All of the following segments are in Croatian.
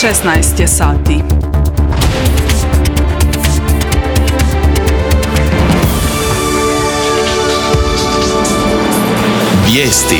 16 je sati. Vijesti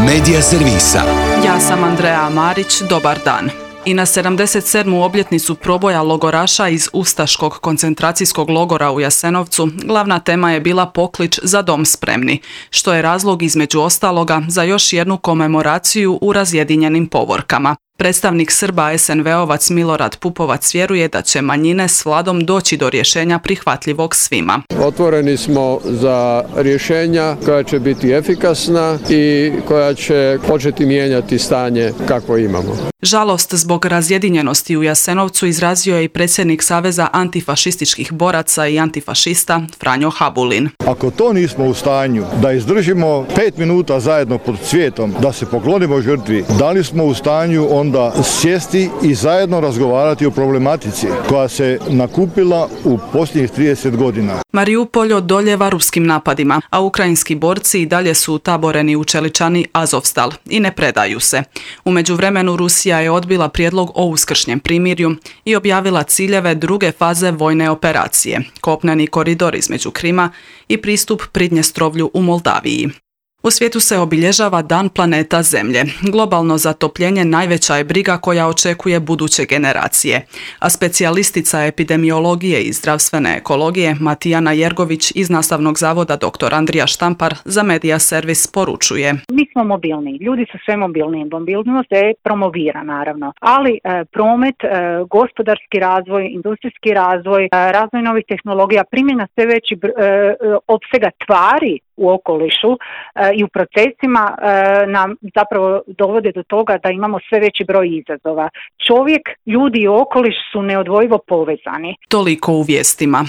Medija servisa. Ja sam Andreja Marić, dobar dan. I na 77. obljetnicu proboja logoraša iz ustaškog koncentracijskog logora u Jasenovcu glavna tema je bila poklič Za dom spremni, što je razlog između ostaloga za još jednu komemoraciju u razjedinjenim povorkama. Predstavnik Srba SNV-ovac Milorad Pupovac vjeruje da će manjine s vladom doći do rješenja prihvatljivog svima. Otvoreni smo za rješenja koja će biti efikasna i koja će početi mijenjati stanje kakvo imamo. Žalost zbog razjedinjenosti u Jasenovcu izrazio je i predsjednik Saveza antifašističkih boraca i antifašista Franjo Habulin. Ako to nismo u stanju da izdržimo 5 minuta zajedno pod cvijetom, da se poklonimo žrtvi, da li smo u stanju onda sjesti i zajedno razgovarati o problematici koja se nakupila u posljednjih 30 godina. Mariupolj odoljeva ruskim napadima, a ukrajinski borci i dalje su utaboreni u čeličani Azovstal i ne predaju se. U međuvremenu Rusija je odbila prijedlog o uskršnjem primirju i objavila ciljeve druge faze vojne operacije, kopneni koridor između Krima i pristup Pridnjestrovlju u Moldaviji. U svijetu se obilježava Dan planeta Zemlje. Globalno zatopljenje najveća je briga koja očekuje buduće generacije. A specijalistica epidemiologije i zdravstvene ekologije Matijana Jergović iz Nastavnog zavoda dr. Andrija Štampar za Medija servis poručuje. Mi smo mobilni, ljudi su sve mobilni, mobilnost je promovira naravno, ali promet, gospodarski razvoj, industrijski razvoj, razvoj novih tehnologija, primjena sve veći opsega tvari u okolišu i u procesima nam zapravo dovode do toga da imamo sve veći broj izazova. Čovjek, ljudi i okoliš su neodvojivo povezani. Toliko u vijestima.